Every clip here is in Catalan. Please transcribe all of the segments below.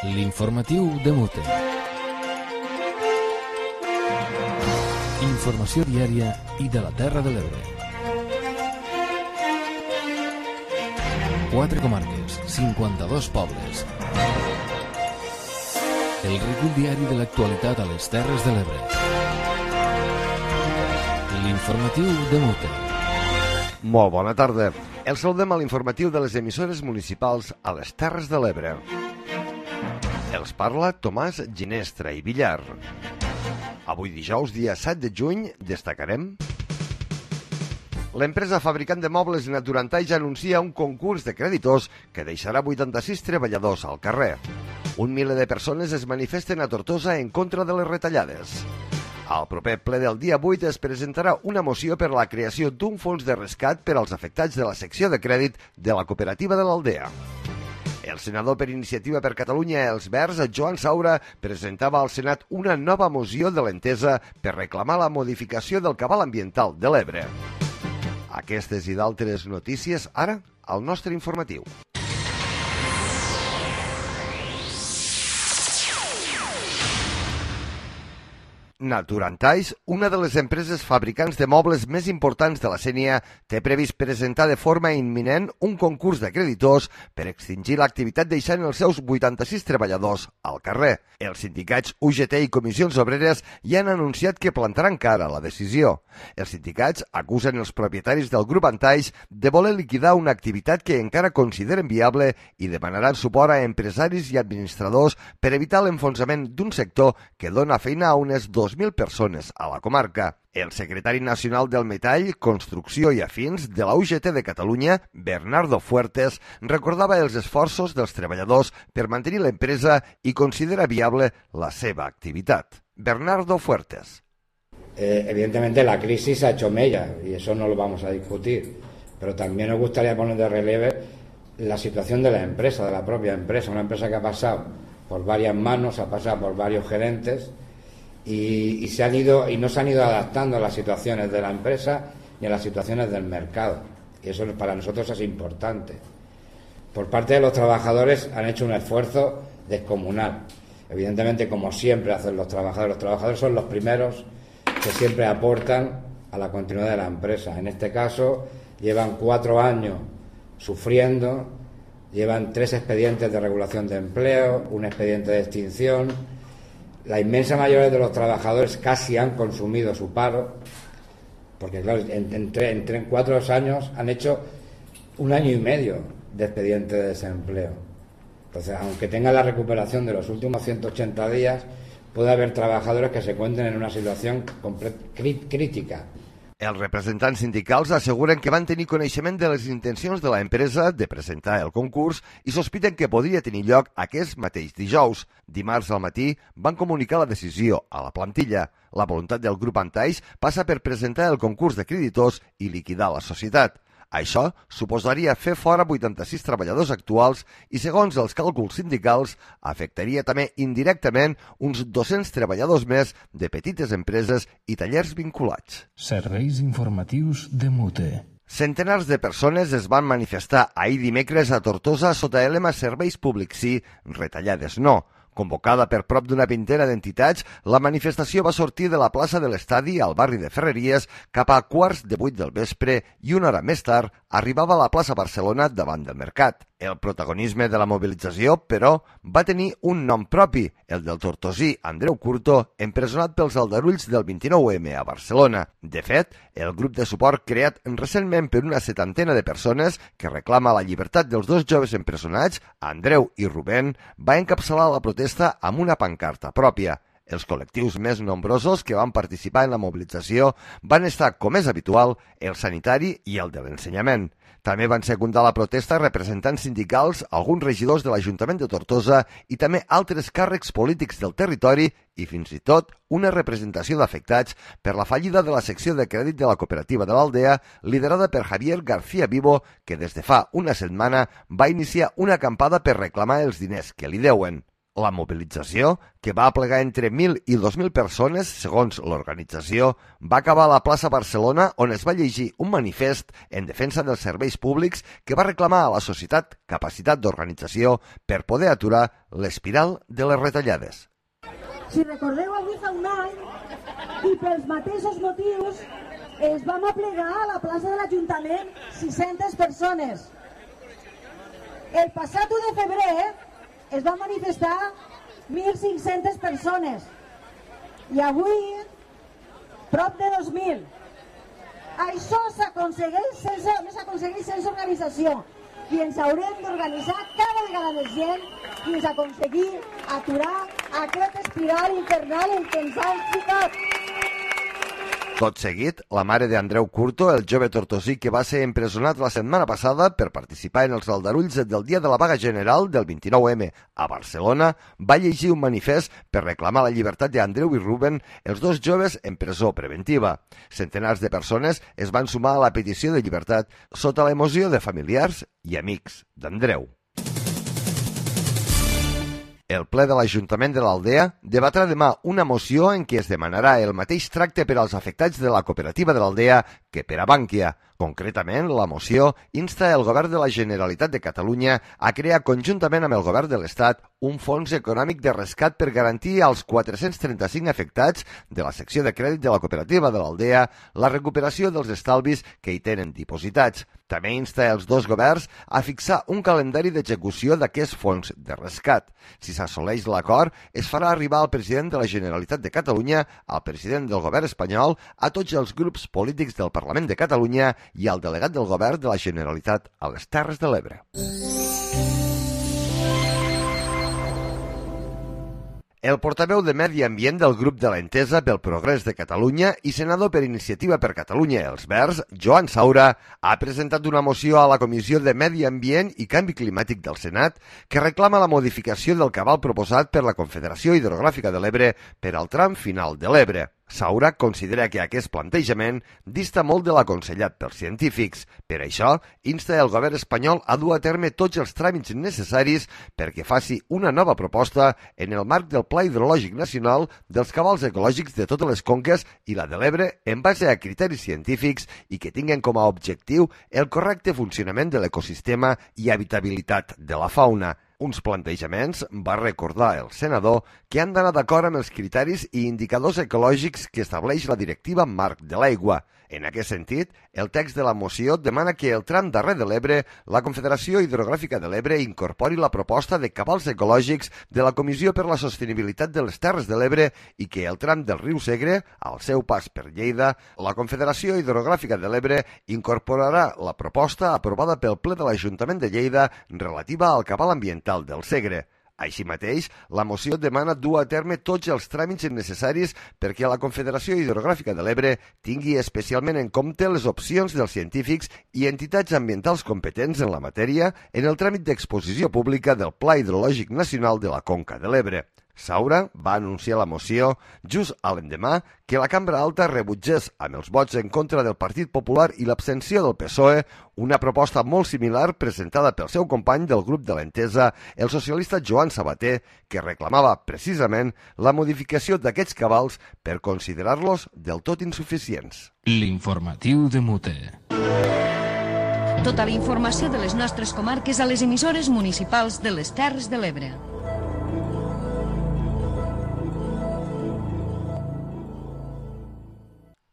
L'informatiu de Mute. Informació diària i de la Terra de l'Ebre. 4 comarques, 52 pobles. El recull diari de l'actualitat a les Terres de l'Ebre. L'informatiu de Mute. Molt bona tarda. El saludem a l'informatiu de les emissores municipals a les Terres de l'Ebre. Els parla Tomàs Ginestra i Villar. Avui dijous, dia 7 de juny, destacarem... L'empresa fabricant de mobles Naturantaix anuncia un concurs de creditors que deixarà 86 treballadors al carrer. 1 miler de persones es manifesten a Tortosa en contra de les retallades. Al proper ple del dia 8 es presentarà una moció per a la creació d'un fons de rescat per als afectats de la secció de crèdit de la cooperativa de l'Aldea. El senador per Iniciativa per Catalunya, Els Verds, Joan Saura, presentava al Senat una nova moció de l'Entesa per reclamar la modificació del cabal ambiental de l'Ebre. Aquestes i d'altres notícies, ara, al nostre informatiu. Naturantaix, una de les empreses fabricants de mobles més importants de la Sénia, té previst presentar de forma imminent un concurs de creditors per extingir l'activitat deixant els seus 86 treballadors al carrer. Els sindicats UGT i Comissions Obreres ja han anunciat que plantaran cara a la decisió. Els sindicats acusen els propietaris del grup Antaix de voler liquidar una activitat que encara consideren viable i demanaran suport a empresaris i administradors per evitar l'enfonsament d'un sector que dona feina a unes 2.000 persones a la comarca. El secretari nacional del Metall, Construcció i Afins de la UGT de Catalunya, Bernardo Fuertes, recordava els esforços dels treballadors per mantenir l'empresa i considera viable la seva activitat. Bernardo Fuertes. Evidentemente la crisis ha hecho mella y eso no lo vamos a discutir, pero también nos gustaría poner de relieve la situación de la empresa, de la propia empresa, una empresa que ha pasado por varias manos, ha pasado por varios gerentes y no se han ido adaptando a las situaciones de la empresa ni a las situaciones del mercado, y eso para nosotros es importante. Por parte de los trabajadores han hecho un esfuerzo descomunal, evidentemente, como siempre hacen los trabajadores son los primeros que siempre aportan a la continuidad de la empresa. En este caso llevan 4 años sufriendo, llevan 3 expedientes de regulación de empleo, un expediente de extinción. La inmensa mayoría de los trabajadores casi han consumido su paro, porque claro, en 4 años han hecho 1 año y medio de expediente de desempleo. Entonces, aunque tengan la recuperación de los últimos 180 días, puede haber trabajadores que se encuentren en una situación crítica. Els representants sindicals asseguren que van tenir coneixement de les intencions de l'empresa de presentar el concurs i sospiten que podria tenir lloc aquest mateix dijous. Dimarts al matí van comunicar la decisió a la plantilla. La voluntat del grup Antaix passa per presentar el concurs de creditors i liquidar la societat. Això suposaria fer fora 86 treballadors actuals i, segons els càlculs sindicals, afectaria també indirectament uns 200 treballadors més de petites empreses i tallers vinculats. Serveis informatius de Mute. Centenars de persones es van manifestar ahir dimecres a Tortosa sota el lema Serveis públics sí, retallades no. Convocada per prop d'una vintena d'entitats, la manifestació va sortir de la plaça de l'Estadi al barri de Ferreries cap a 7:15 del vespre i una hora més tard arribava a la plaça Barcelona davant del mercat. El protagonisme de la mobilització, però, va tenir un nom propi, el del tortosí Andreu Curto, empresonat pels aldarulls del 29M a Barcelona. De fet, el grup de suport creat recentment per una 70 de persones que reclama la llibertat dels 2 joves empresonats, Andreu i Rubén, va encapçalar la protesta amb una pancarta pròpia. Els col·lectius més nombrosos que van participar en la mobilització van estar, com és habitual, el sanitari i el de l'ensenyament. També van secundar la protesta representants sindicals, alguns regidors de l'Ajuntament de Tortosa i també altres càrrecs polítics del territori i fins i tot una representació d'afectats per la fallida de la secció de crèdit de la cooperativa de l'Aldea, liderada per Javier García Vivo, que des de fa una setmana va iniciar una acampada per reclamar els diners que li deuen. La mobilització, que va aplegar entre 1.000 i 2.000 persones, segons l'organització, va acabar a la plaça Barcelona, on es va llegir un manifest en defensa dels serveis públics que va reclamar a la societat capacitat d'organització per poder aturar l'espiral de les retallades. Si recordeu, avui fa un any, i pels mateixos motius, es vam aplegar a la plaça de l'Ajuntament 600 persones. El passat 1 de febrer es van manifestar 1.500 persones i avui prop de 2.000. Això s'aconsegueix sense organització i ens haurem d'organitzar cada vegada més gent fins a aconseguir aturar aquest espiral infernal en què ens han ficat. Tot seguit, la mare d'Andreu Curto, el jove tortosí que va ser empresonat la setmana passada per participar en els aldarulls del dia de la vaga general del 29M a Barcelona, va llegir un manifest per reclamar la llibertat d'Andreu i Ruben, els dos joves en presó preventiva. Centenars de persones es van sumar a la petició de llibertat sota l'emoció de familiars i amics d'Andreu. El ple de l'Ajuntament de l'Aldea debatrà demà una moció en què es demanarà el mateix tracte per als afectats de la cooperativa de l'Aldea que per a Bànquia. Concretament, la moció insta el Govern de la Generalitat de Catalunya a crear conjuntament amb el Govern de l'Estat un fons econòmic de rescat per garantir als 435 afectats de la secció de crèdit de la cooperativa de l'Aldea la recuperació dels estalvis que hi tenen dipositats. També insta els dos governs a fixar un calendari d'execució d'aquest fons de rescat. Si s'assoleix l'acord, es farà arribar al president de la Generalitat de Catalunya, al president del govern espanyol, a tots els grups polítics del Parlament de Catalunya i al delegat del govern de la Generalitat a les Terres de l'Ebre. El portaveu de Medi Ambient del grup de l'Entesa pel Progrés de Catalunya i senador per Iniciativa per Catalunya els Verds, Joan Saura, ha presentat una moció a la Comissió de Medi Ambient i Canvi Climàtic del Senat que reclama la modificació del cabal proposat per la Confederació Hidrogràfica de l'Ebre per al tram final de l'Ebre. Saura considera que aquest plantejament dista molt de l'aconsellat pels científics. Per això, insta el govern espanyol a dur a terme tots els tràmits necessaris perquè faci una nova proposta en el marc del Pla Hidrològic Nacional dels cabals ecològics de totes les conques i la de l'Ebre en base a criteris científics i que tinguen com a objectiu el correcte funcionament de l'ecosistema i habitabilitat de la fauna. Uns plantejaments, va recordar el senador, que han d'anar d'acord amb els criteris i indicadors ecològics que estableix la Directiva Marc de l'Aigua. En aquest sentit, el text de la moció demana que el tram darrer de l'Ebre, la Confederació Hidrogràfica de l'Ebre incorpori la proposta de cabals ecològics de la Comissió per la Sostenibilitat de les Terres de l'Ebre i que el tram del riu Segre, al seu pas per Lleida, la Confederació Hidrogràfica de l'Ebre incorporarà la proposta aprovada pel ple de l'Ajuntament de Lleida relativa al cabal ambiental del Segre. Així mateix, la moció demana dur a terme tots els tràmits necessaris perquè la Confederació Hidrogràfica de l'Ebre tingui especialment en compte les opcions dels científics i entitats ambientals competents en la matèria en el tràmit d'exposició pública del Pla Hidrològic Nacional de la Conca de l'Ebre. Saura va anunciar la moció just a l'endemà que la Cambra Alta rebutgés amb els vots en contra del Partit Popular i l'abstenció del PSOE una proposta molt similar presentada pel seu company del grup de l'Entesa, el socialista Joan Sabater, que reclamava precisament la modificació d'aquests cabals per considerar-los del tot insuficients. L'informatiu de Mute. Tota la informació de les nostres comarques a les emissores municipals de les Terres de l'Ebre.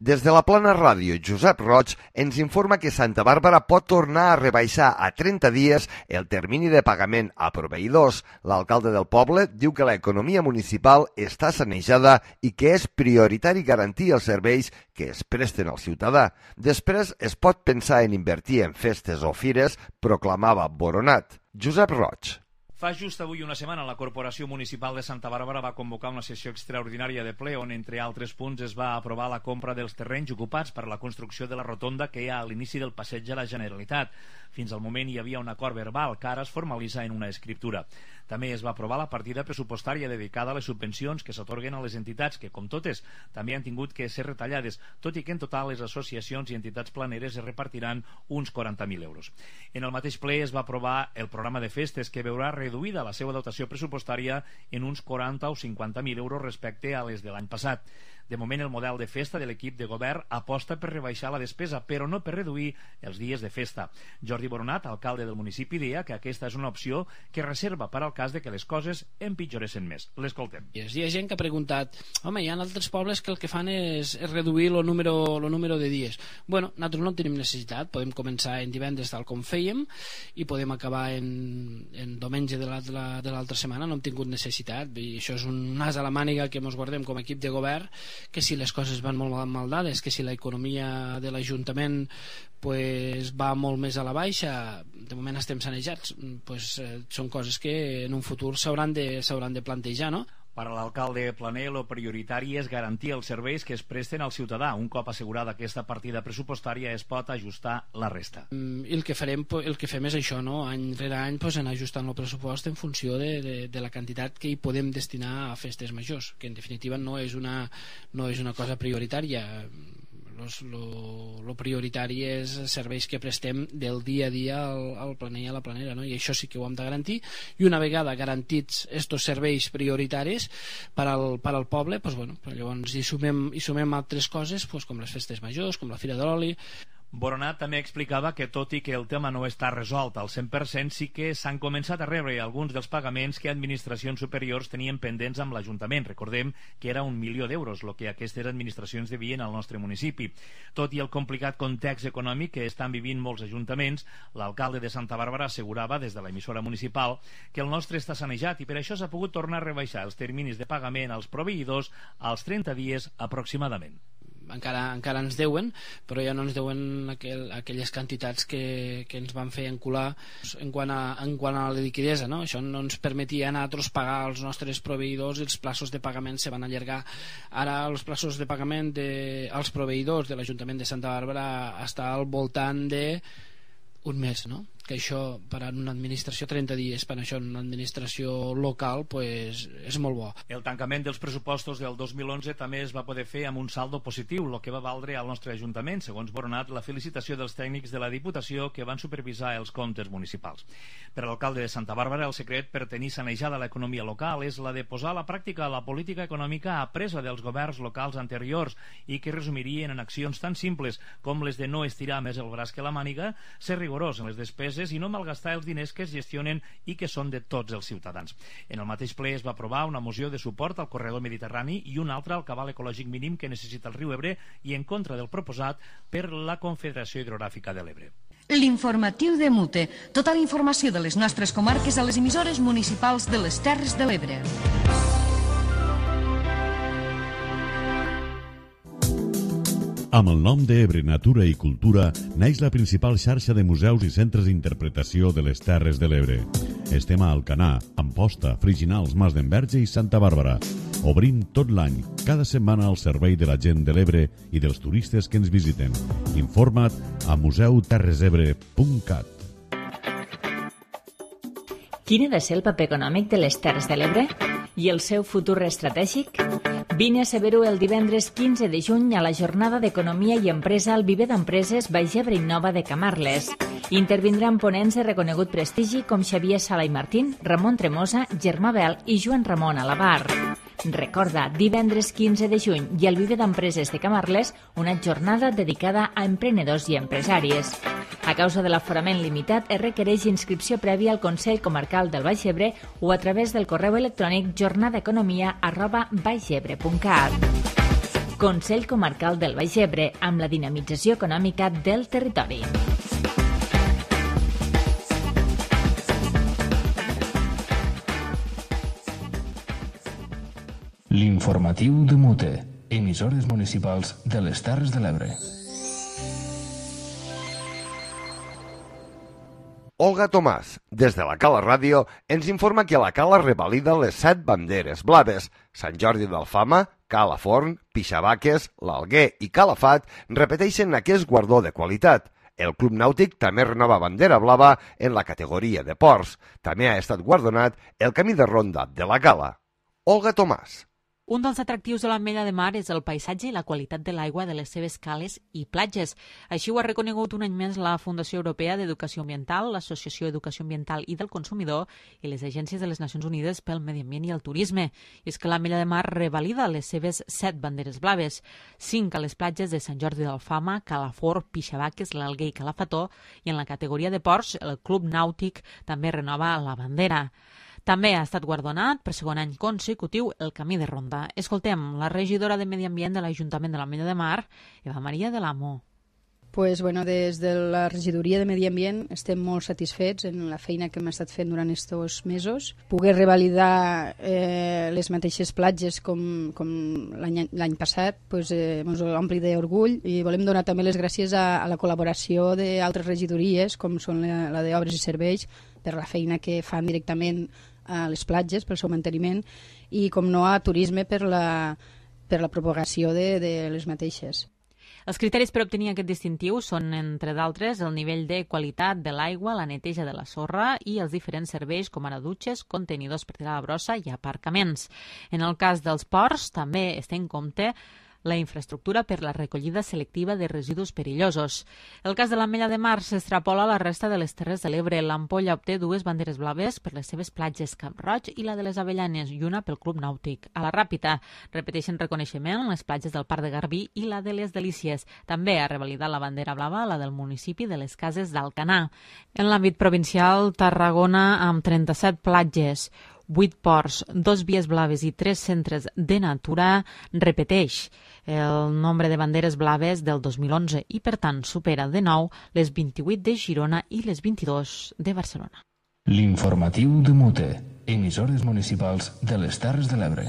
Des de la Plana Ràdio, Josep Roig ens informa que Santa Bàrbara pot tornar a rebaixar a 30 dies el termini de pagament a proveïdors. L'alcalde del poble diu que l'economia municipal està sanejada i que és prioritari garantir els serveis que es presten al ciutadà. Després es pot pensar en invertir en festes o fires, proclamava Boronat. Josep Roig. Fa just avui una setmana la Corporació Municipal de Santa Bàrbara va convocar una sessió extraordinària de ple on, entre altres punts, es va aprovar la compra dels terrenys ocupats per la construcció de la rotonda que hi ha a l'inici del passeig de la Generalitat. Fins al moment hi havia un acord verbal que ara es formalitza en una escriptura. També es va aprovar la partida pressupostària dedicada a les subvencions que s'atorguen a les entitats que, com totes, també han tingut que ser retallades, tot i que en total les associacions i entitats planeres es repartiran uns 40.000 euros. En el mateix ple es va aprovar el programa de festes que veurà reduir reduïda la seva dotació pressupostària en uns 40 o 50.000 euros respecte a les de l'any passat. De moment, el model de festa de l'equip de govern aposta per rebaixar la despesa, però no per reduir els dies de festa. Jordi Boronat, alcalde del municipi, deia que aquesta és una opció que reserva per al cas de que les coses empitjoressin més. L'escoltem. Hi ha gent que ha preguntat, home, hi ha altres pobles que el que fan és reduir el número de dies. Bueno, nosaltres no tenim necessitat, podem començar en divendres tal com fèiem i podem acabar en diumenge de l'altra setmana, no hem tingut necessitat, i això és un nas a la màniga que ens guardem com a equip de govern, que si les coses van molt mal dades, que si l'economia de l'Ajuntament va molt més a la baixa, de moment estem sanejats, són coses que en un futur s'hauran de plantejar, no? Per a l'alcalde Planer, el prioritari és garantir els serveis que es presten al ciutadà. Un cop assegurada aquesta partida pressupostària es pot ajustar la resta. I el que fem és això, no? Any rere any anar ajustant el pressupost en funció de la quantitat que hi podem destinar a festes majors, que en definitiva no és una cosa prioritària. Lo prioritari és serveis que prestem del dia a dia al planer i a la planera, no? I això sí que ho hem de garantir, i una vegada garantits estos serveis prioritaris per al poble, llavors hi sumem altres coses, com les festes majors, com la Fira de l'Oli. Boronat també explicava que, tot i que el tema no està resolt al 100%, sí que s'han començat a rebre alguns dels pagaments que administracions superiors tenien pendents amb l'Ajuntament. Recordem que era 1 milió d'euros el que aquestes administracions devien al nostre municipi. Tot i el complicat context econòmic que estan vivint molts ajuntaments, l'alcalde de Santa Bàrbara assegurava des de l'emissora municipal que el nostre està sanejat i per això s'ha pogut tornar a rebaixar els terminis de pagament als proveïdors als 30 dies aproximadament. Encara ens deuen, però ja no ens deuen aquelles quantitats que ens van fer encular en quant a la liquidesa, no? Això no ens permetia a nosaltres pagar als nostres proveïdors i els plaços de pagament se van allargar. Ara els plaços de pagament als proveïdors de l'Ajuntament de Santa Bàrbara està al voltant d'un mes, no? Que això per a una administració 30 dies, per això en una administració local és molt bo. El tancament dels pressupostos del 2011 també es va poder fer amb un saldo positiu, el que va valdre al nostre Ajuntament, segons Boronat, la felicitació dels tècnics de la Diputació que van supervisar els comptes municipals. Per a l'alcalde de Santa Bàrbara, el secret per tenir sanejada l'economia local és la de posar a la pràctica la política econòmica apresa dels governs locals anteriors i que resumirien en accions tan simples com les de no estirar més el braç que la màniga, ser rigorós en les despeses i no malgastar els diners que es gestionen i que són de tots els ciutadans. En el mateix ple es va aprovar una moció de suport al corredor mediterrani i una altra al cabal ecològic mínim que necessita el riu Ebre i en contra del proposat per la Confederació Hidrogràfica de l'Ebre. L'informatiu de Mute. Tota la informació de les nostres comarques a les emissores municipals de les Terres de l'Ebre. Amb el nom d'Ebre Natura i Cultura neix la principal xarxa de museus i centres d'interpretació de les Terres de l'Ebre. Estem a Alcanar, Amposta, Friginals, Mas d'Enverge i Santa Bàrbara. Obrim tot l'any, cada setmana al servei de la gent de l'Ebre i dels turistes que ens visiten. Informa't a museuterresebre.cat. Quin ha de ser el paper econòmic de les Terres de l'Ebre? I el seu futur estratègic? Vine a saber-ho el divendres 15 de juny a la jornada d'Economia i Empresa al Viver d'Empreses Baix Ebre Innova de Camarles. Intervindran ponents de reconegut prestigi com Xavier Sala i Martín, Ramon Tremosa, Germà Bel i Joan Ramon Alabar. Recorda, divendres 15 de juny i al Viver d'Empreses de Camarles, una jornada dedicada a emprenedors i empresàries. A causa de l'aforament limitat, es requereix inscripció prèvia al Consell Comarcal del Baix Ebre o a través del correu electrònic jornadaeconomia@baixebre.cat. Consell Comarcal del Baix Ebre, amb la dinamització econòmica del territori. L'informatiu de Mute. Emissores municipals de les Terres de l'Ebre. Olga Tomàs, des de la Cala Ràdio, ens informa que la Cala revalida les 7 banderes blaves. Sant Jordi d'Alfama, Cala Forn, Pixabaques, l'Alguer i Calafat repeteixen aquest guardó de qualitat. El Club Nàutic també renova bandera blava en la categoria de ports. També ha estat guardonat el camí de ronda de la Cala. Olga Tomàs. Un dels atractius de l'Ametlla de Mar és el paisatge i la qualitat de l'aigua de les seves cales i platges. Així ho ha reconegut un any més la Fundació Europea d'Educació Ambiental, l'Associació Educació Ambiental i del Consumidor i les agències de les Nacions Unides pel Medi Ambient i el Turisme. I és que l'Ametlla de Mar revalida les seves 7 banderes blaves, 5 a les platges de Sant Jordi d'Alfama, Calafort, Pixabaques, l'Alguer i Calafató, i en la categoria de ports, el Club Nàutic també renova la bandera. També ha estat guardonat per segon any consecutiu el Camí de Ronda. Escoltem la regidora de Medi Ambient de l'Ajuntament de l'Ametlla de Mar, Eva Maria de l'Amo. Pues, des de la regidoria de Medi Ambient estem molt satisfets en la feina que hem estat fent durant aquests mesos. Poder revalidar les mateixes platges com l'any passat ens ompli d'orgull i volem donar també les gràcies a la col·laboració d'altres regidories com són la d'Obres i Serveis per la feina que fan directament a les platges pel seu manteniment i com no a Turisme per la propagació de les mateixes. Els criteris per obtenir aquest distintiu són, entre d'altres, el nivell de qualitat de l'aigua, la neteja de la sorra i els diferents serveis com ara dutxes, contenidors per tirar la brossa i aparcaments. En el cas dels ports també es té en compte la infraestructura per la recollida selectiva de residus perillosos. El cas de l'Ametlla de Mar s'extrapola a la resta de les Terres de l'Ebre. L'Ampolla obté 2 banderes blaves per les seves platges Camp Roig i la de les Avellanes i una pel Club Nàutic. A la Ràpita repeteixen reconeixement les platges del Parc de Garbí i la de les Delícies. També ha revalidat la bandera blava la del municipi de les Cases d'Alcanar. En l'àmbit provincial, Tarragona amb 37 platges, 8 ports, 2 vies blaves i 3 centres de natura repeteix el nombre de banderes blaves del 2011 i, per tant, supera de nou les 28 de Girona i les 22 de Barcelona. L'informatiu de Mute, emissores municipals de les Terres de l'Ebre.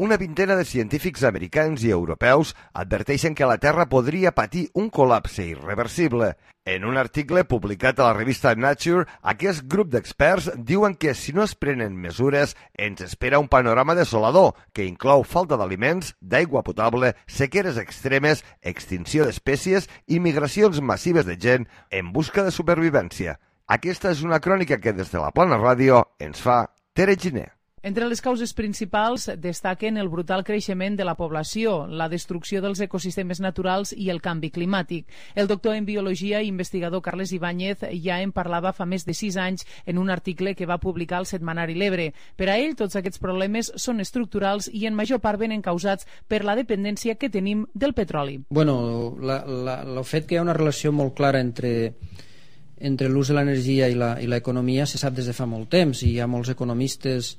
Una vintena de científics americans i europeus adverteixen que la Terra podria patir un col·lapse irreversible. En un article publicat a la revista Nature, aquest grup d'experts diuen que si no es prenen mesures ens espera un panorama desolador que inclou falta d'aliments, d'aigua potable, sequeres extremes, extinció d'espècies i migracions massives de gent en busca de supervivència. Aquesta és una crònica que des de la Plana Ràdio ens fa Tere Giner. Entre les causes principals destaquen el brutal creixement de la població, la destrucció dels ecosistemes naturals i el canvi climàtic. El doctor en biologia i investigador Carles Ibáñez ja en parlava fa més de 6 anys en un article que va publicar al setmanari L'Ebre. Per a ell, tots aquests problemes són estructurals i en major part venen causats per la dependència que tenim del petroli. Bueno, el fet que hi ha una relació molt clara entre l'ús de l'energia i l'economia se sap des de fa molt temps i hi ha molts economistes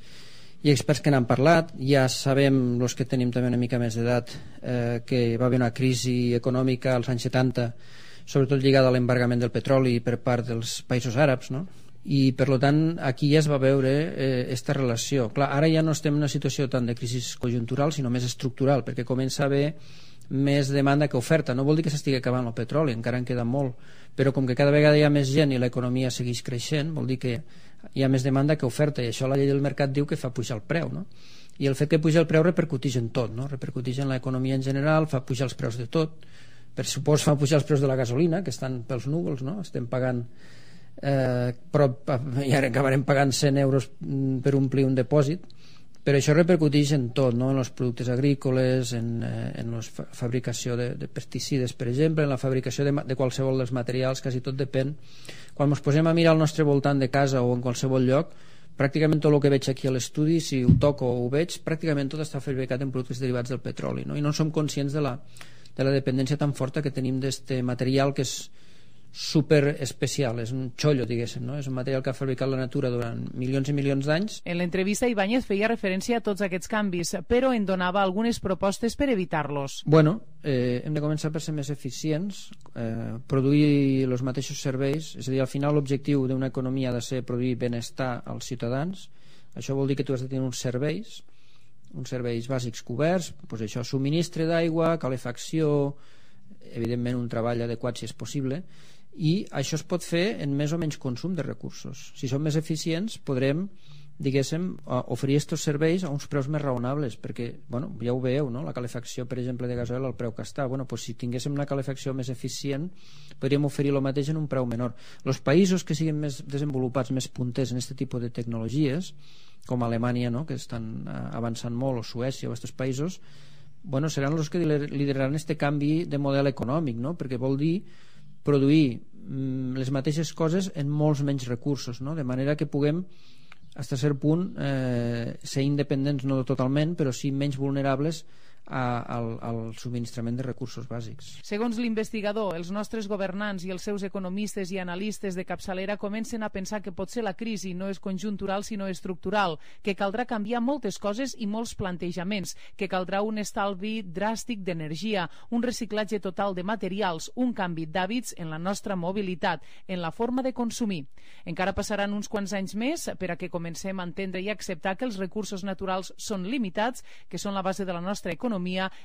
i experts que n'han parlat. Ja sabem, els que tenim també una mica més d'edat, que va haver una crisi econòmica als anys 70, sobretot lligada a l'embargament del petroli per part dels països àrabs, no? I per tant aquí ja es va veure aquesta relació. Clar, ara ja no estem en una situació tant de crisi conjuntural sinó més estructural, perquè comença a haver més demanda que oferta. No vol dir que s'estigui acabant el petroli, encara en queda molt, però com que cada vegada hi ha més gent i l'economia segueix creixent, vol dir que hi ha més demanda que oferta, i això la llei del mercat diu que fa pujar el preu, no? I el fet que puja el preu repercuteix en tot, no? Repercuteix en l'economia en general, fa pujar els preus de tot, per supòs fa pujar els preus de la gasolina, que estan pels núvols, no? Estem pagant i ara acabarem pagant 100 euros per omplir un depòsit, però això repercuteix en tot, no? En els productes agrícoles, en la fabricació de pesticides, per exemple, en la fabricació de qualsevol dels materials, quasi tot depèn. Quan ens posem a mirar al nostre voltant de casa o en qualsevol lloc, pràcticament tot el que veig aquí a l'estudi, si ho toco o ho veig, pràcticament tot està fabricat en productes derivats del petroli, no? I no som conscients de la dependència tan forta que tenim d'aquest material que és super especial, és un xollo, diguéssim, no? És un material que ha fabricat la natura durant milions i milions d'anys. En l'entrevista, Ibáñez feia referència a tots aquests canvis, però en donava algunes propostes per evitar-los. Bueno, hem de començar per ser més eficients, produir els mateixos serveis, és a dir, al final l'objectiu d'una economia ha de ser produir benestar als ciutadans. Això vol dir que tu has de tenir uns serveis bàsics coberts, doncs això, subministre d'aigua, calefacció, evidentment un treball adequat si és possible, i això es pot fer en més o menys consum de recursos. Si som més eficients podrem diguéssim, oferir aquests serveis a uns preus més raonables, perquè, bueno, ja ho veieu, no? La calefacció, per exemple, de gasoil, el preu que està, bueno, pues si tinguéssim una calefacció més eficient, podríem oferir el mateix en un preu menor. Els països que siguin més desenvolupats, més punters en aquest tipus de tecnologies, com Alemanya, no? Que estan avançant molt, o Suècia, o aquests països, bueno, seran els que lideraran aquest canvi de model econòmic, no? Perquè vol dir produir les mateixes coses en molts menys recursos, no? De manera que puguem fins a cert punt ser independents, no totalment, però sí menys vulnerables al subministrament de recursos bàsics. Segons l'investigador, els nostres governants i els seus economistes i analistes de capçalera comencen a pensar que potser la crisi no és conjuntural sinó estructural, que caldrà canviar moltes coses i molts plantejaments, que caldrà un estalvi dràstic d'energia, un reciclatge total de materials, un canvi d'hàbits en la nostra mobilitat, en la forma de consumir. Encara passaran uns quants anys més per a que comencem a entendre i acceptar que els recursos naturals són limitats, que són la base de la nostra economia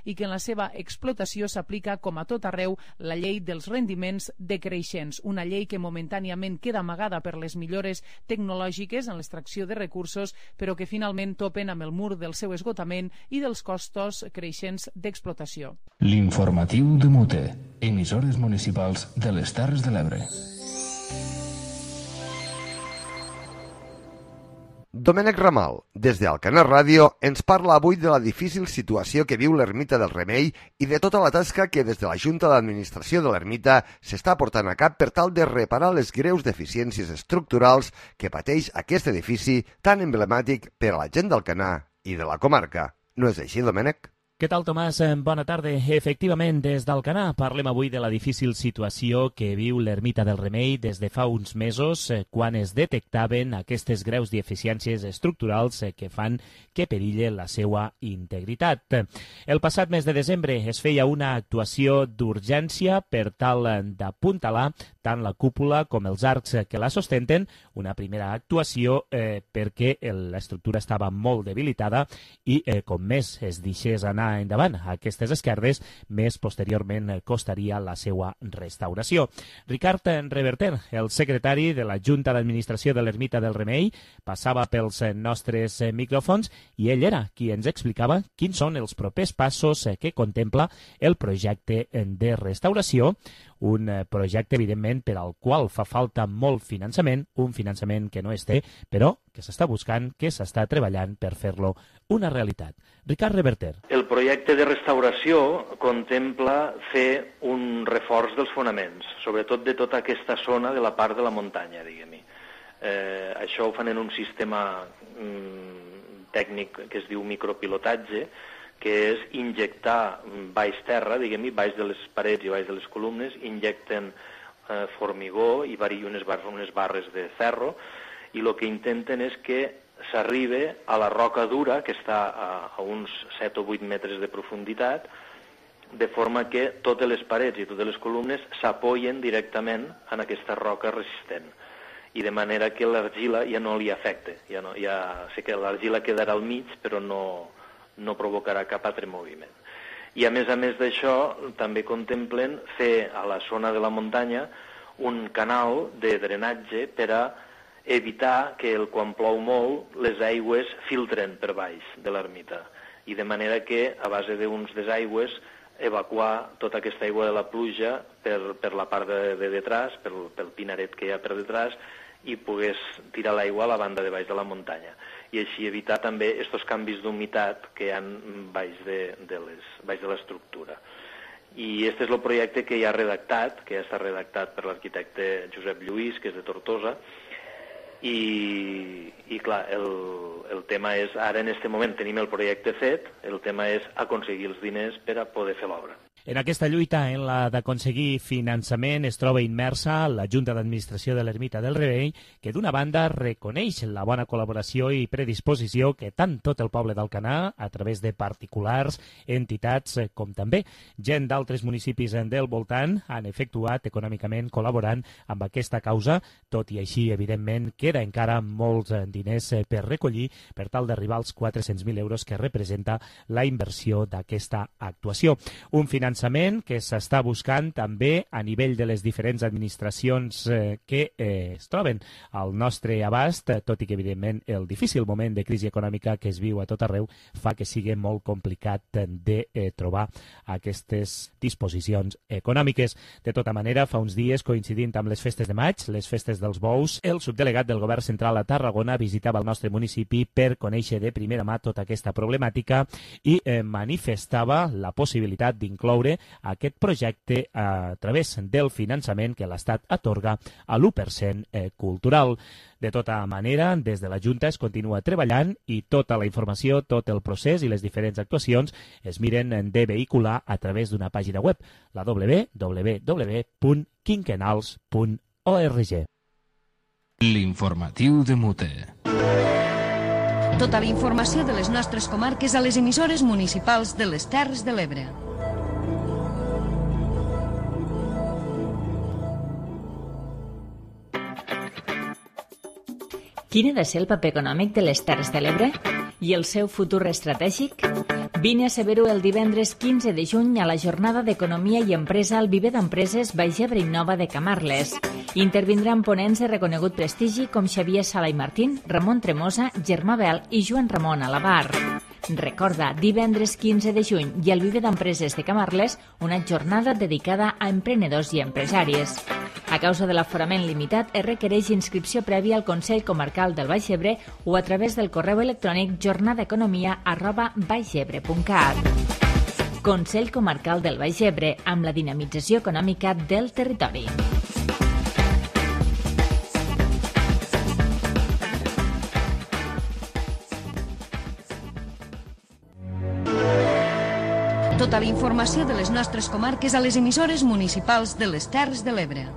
i que en la seva explotació s'aplica, com a tot arreu, la llei dels rendiments decreixents, una llei que momentàniament queda amagada per les millores tecnològiques en l'extracció de recursos, però que finalment topen amb el mur del seu esgotament i dels costos creixents d'explotació. L'informatiu de Mute, emissores municipals de les Terres de l'Ebre. Domènec Ramal, des d'Alcanar Ràdio, ens parla avui de la difícil situació que viu l'Ermita del Remei i de tota la tasca que des de la Junta d'Administració de l'Ermita s'està portant a cap per tal de reparar les greus deficiències estructurals que pateix aquest edifici tan emblemàtic per a la gent d'Alcanar i de la comarca. No és així, Domènec? Què tal, Tomàs? Bona tarda. Efectivament, des d'Alcanar parlem avui de la difícil situació que viu l'Ermita del Remei des de fa uns mesos, quan es detectaven aquestes greus deficiències estructurals que fan que perille la seva integritat. El passat mes de desembre es feia una actuació d'urgència per tal d'apuntalar tant la cúpula com els arcs que la sostenten, una primera actuació perquè l'estructura estava molt debilitada i com més es deixés anar endavant a aquestes esquerdes, més posteriorment costaria la seva restauració. Ricard Reverter, el secretari de la Junta d'Administració de l'Ermita del Remei, passava pels nostres micròfons i ell era qui ens explicava quins són els propers passos que contempla el projecte de restauració, un projecte, evidentment, per al qual fa falta molt finançament, un finançament que no es té, però que s'està buscant, que s'està treballant per fer-lo una realitat. Ricard Reverter. El projecte de restauració contempla fer un reforç dels fonaments, sobretot de tota aquesta zona de la part de la muntanya, diguem-hi. Això ho fan en un sistema tècnic que es diu micropilotatge, que és injectar baix terra, diguem-hi, baix de les parets i baix de les columnes, injecten formigó i unes barres de ferro, i el que intenten és que s'arribe a la roca dura, que està a uns 7 o 8 metres de profunditat, de forma que totes les parets i totes les columnes s'apoyen directament en aquesta roca resistent, i de manera que l'argila ja no li afecta. Sé que l'argila quedarà al mig, però no provocarà cap altre moviment. I a més d'això, també contemplen fer a la zona de la muntanya un canal de drenatge per a evitar que quan plou molt les aigües filtren per baix de l'ermita, i de manera que a base d'uns desaigües evacuar tota aquesta aigua de la pluja per la part de detrás, pel pinaret que hi ha per detrás, i pogués tirar l'aigua a la banda de baix de la muntanya, i així evitar també aquests canvis d'humitat que hi ha baix de l'estructura. I aquest és el projecte que ja està redactat per l'arquitecte Josep Lluís, que és de Tortosa, i clar, el tema és, ara en aquest moment tenim el projecte fet, el tema és aconseguir els diners per a poder fer l'obra. En aquesta lluita, en la d'aconseguir finançament, es troba immersa la Junta d'Administració de l'Ermita del Remei, que d'una banda reconeix la bona col·laboració i predisposició que tant tot el poble d'Alcanar, a través de particulars, entitats, com també gent d'altres municipis del voltant, han efectuat econòmicament col·laborant amb aquesta causa, tot i així, evidentment, queda encara molts diners per recollir per tal d'arribar als 400.000 euros que representa la inversió d'aquesta actuació. Un finançament finançament que s'està buscant també a nivell de les diferents administracions que es troben al nostre abast, tot i que, evidentment, el difícil moment de crisi econòmica que es viu a tot arreu fa que sigui molt complicat de trobar aquestes disposicions econòmiques. De tota manera, fa uns dies, coincidint amb les festes de maig, les festes dels bous, el subdelegat del Govern Central a Tarragona visitava el nostre municipi per conèixer de primera mà tota aquesta problemàtica i manifestava la possibilitat d'incloure aquest projecte a través del finançament que l'Estat atorga a l'1% cultural. De tota manera, des de la Junta es continua treballant i tota la informació, tot el procés i les diferents actuacions es miren de vehicular a través d'una pàgina web, la www.quinquenals.org. L'informatiu de Mute. Tota la informació de les nostres comarques a les emissores municipals de les Terres de l'Ebre. Quin ha de ser el paper econòmic de les Terres de l'Ebre i el seu futur estratègic? Vine a saber-ho el divendres 15 de juny a la jornada d'Economia i Empresa al Viver d'Empreses Baix Ebre Innova de Camarles. Intervindran ponents de reconegut prestigi com Xavier Sala i Martín, Ramon Tremosa, Germà Bel i Joan Ramon Alabar. Recorda, divendres 15 de juny i al Viver d'Empreses de Camarles, una jornada dedicada a emprenedors i empresaris. A causa de l'aforament limitat, es requereix inscripció prèvia al Consell Comarcal del Baix Ebre o a través del correu electrònic jornadaeconomia@baixebre.cat. Consell Comarcal del Baix Ebre, amb la dinamització econòmica del territori. Tota la informació de les nostres comarques a les emissores municipals de les Terres de l'Ebre.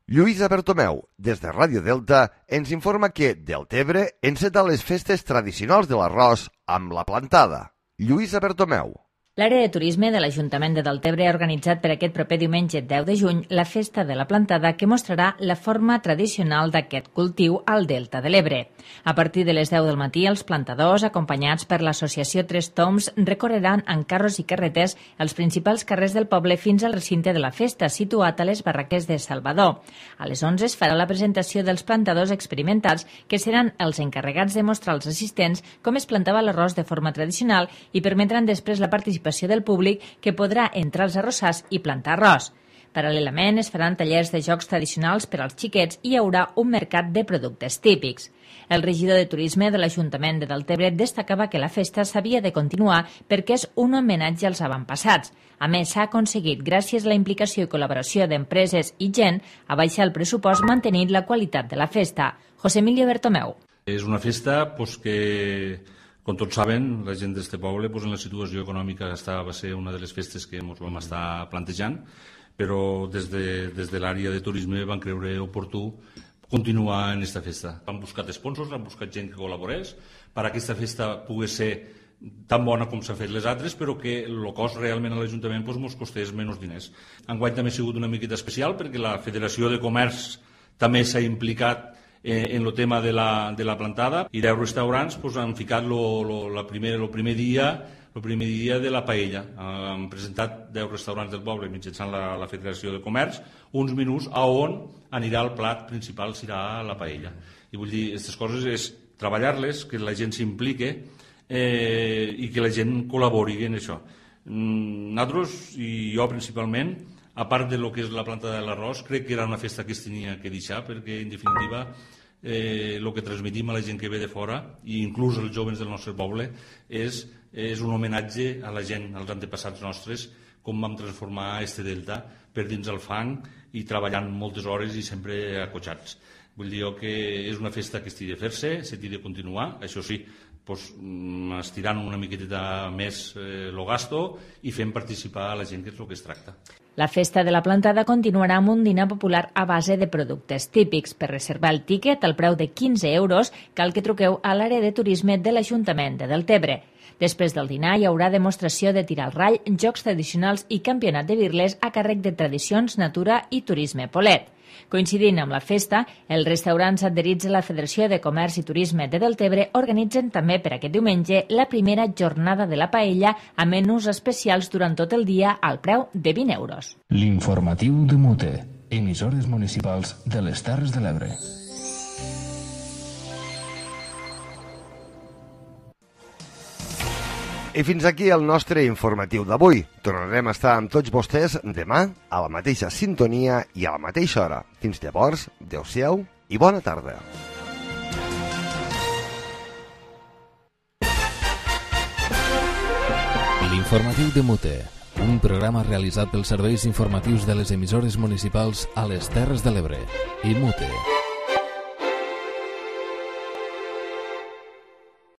Lluïsa Bertomeu, des de Ràdio Delta, ens informa que Deltebre enceta les festes tradicionals de l'arròs amb la plantada. Lluïsa Bertomeu. L'àrea de turisme de l'Ajuntament de Deltebre ha organitzat per aquest proper diumenge 10 de juny la Festa de la Plantada que mostrarà la forma tradicional d'aquest cultiu al Delta de l'Ebre. A partir de les 10 del matí, els plantadors, acompanyats per l'associació Tres Toms, recorreran en carros i carretes els principals carrers del poble fins al recinte de la festa, situat a les barraques de Salvador. A les 11 es farà la presentació dels plantadors experimentals, que seran els encarregats de mostrar als assistents com es plantava l'arròs de forma tradicional i permetran després la participació del públic que podrà entrar als arrossars i plantar arròs. Paral·lelament es faran tallers de jocs tradicionals per als xiquets i hi haurà un mercat de productes típics. El regidor de Turisme de l'Ajuntament de Deltebre destacava que la festa s'havia de continuar perquè és un homenatge als avantpassats. A més, s'ha aconseguit, gràcies a la implicació i col·laboració d'empreses i gent, abaixar el pressupost mantenint la qualitat de la festa. José Emilio Bertomeu. És una festa que, com tots saben, la gent d'este poble en la situació econòmica va ser una de les festes que ens vam estar plantejant, però des de l'àrea de turisme van creure oportú continuar en aquesta festa. Han buscat sponsors, han buscat gent que col·laborés per a aquesta festa pogués ser tan bona com s'han fet les altres, però que el cost realment a l'Ajuntament ens costés menys diners. Enguany també ha sigut una miqueta especial perquè la Federació de Comerç també s'ha implicat en el tema de la plantada i 10 restaurants han ficat el primer dia de la paella. Han presentat 10 restaurants del poble mitjançant la Federació de Comerç uns menús on anirà el plat principal, serà la paella. I vull dir, aquestes coses és treballar-les, que la gent s'implique i que la gent col·labori en això. Nosaltres, i jo principalment, a part de lo que és la planta de l'arròs, crec que era una festa que es tenia que deixar, perquè en definitiva el que transmetim a la gent que ve de fora, i inclús els joves del nostre poble, és un homenatge a la gent, als antepassats nostres, com vam transformar este delta per dins el fang i treballant moltes hores i sempre acotxats. Vull dir que és una festa que estigui de fer-se, s'hagi de continuar, això sí, estirant una miqueta més el gasto i fent participar a la gent, que és el que es tracta. La festa de la plantada continuarà amb un dinar popular a base de productes típics. Per reservar el tíquet al preu de 15 euros cal que truqueu a l'àrea de turisme de l'Ajuntament de Deltebre. Després del dinar hi haurà demostració de tir al rall, jocs tradicionals i campionat de birles a càrrec de Tradicions, Natura i Turisme Polet. Coincidint amb la festa, els restaurants adherits a la Federació de Comerç i Turisme de Deltebre organitzen també per aquest diumenge la primera jornada de la paella amb menús especials durant tot el dia al preu de 20 euros. L'informatiu de Mute, emissores municipals de les Terres de l'Ebre. I fins aquí el nostre informatiu d'avui. Tornarem a estar amb tots vostès demà a la mateixa sintonia i a la mateixa hora. Fins llavors, adeu-siau i bona tarda. L'informatiu de Mute, un programa realitzat pels serveis informatius de les emissores municipals a les Terres de l'Ebre i Mute.